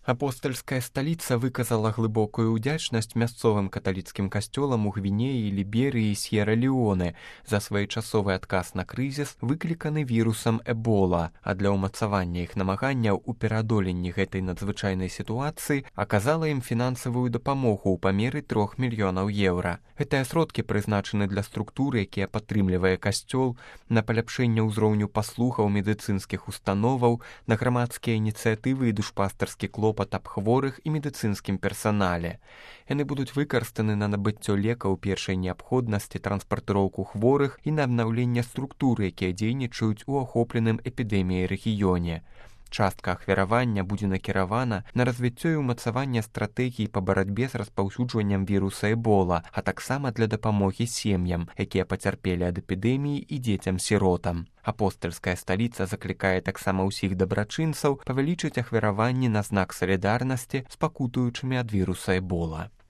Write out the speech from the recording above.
Апостальская сталіца выказала глыбокую ўдзячнасць мясцовым каталіцкім касцёлам у Гвінеі, Ліберыі і С'ера-Леоне за своечасовы адказ на крызіс, выкліканы вірусам Эбола, а для ўмацавання іх намаганняў у пераадоленні гэтай надзвычайнай сітуацыі аказала ім фінансавую дапамогу ў памеры 3 мільёнаў еўра. Гэтыя сродкі прызначаны для структуры, якія падтрымлівае касцёл, на паляпшэнне ўзроўню паслугаў медыцынскіх установаў, на грамадскія ініцыятывы і душпастарскі клопат аб хворых і медыцынскім персанале. Яны будуць выкарыстаны на набыццё лекаў першай неабходнасці, транспартыроўку хворых і на абнаўленне структур, якія дзейнічаюць у ахопленым эпідэміяй рэгіёне. Частка ахвяравання будзе накіравана на развіццё і ўмацаванне стратэгій па барацьбе з распаўсюджваннем віруса Эбола, а таксама для дапамогі сем'ям, якія пацярпелі ад эпідэміі, і дзецям-сіротам. Апостальская сталіца заклікае таксама ўсіх дабрачынцаў павялічыць ахвяраванні на знак салідарнасці з пакутуючымі ад віруса Эбола.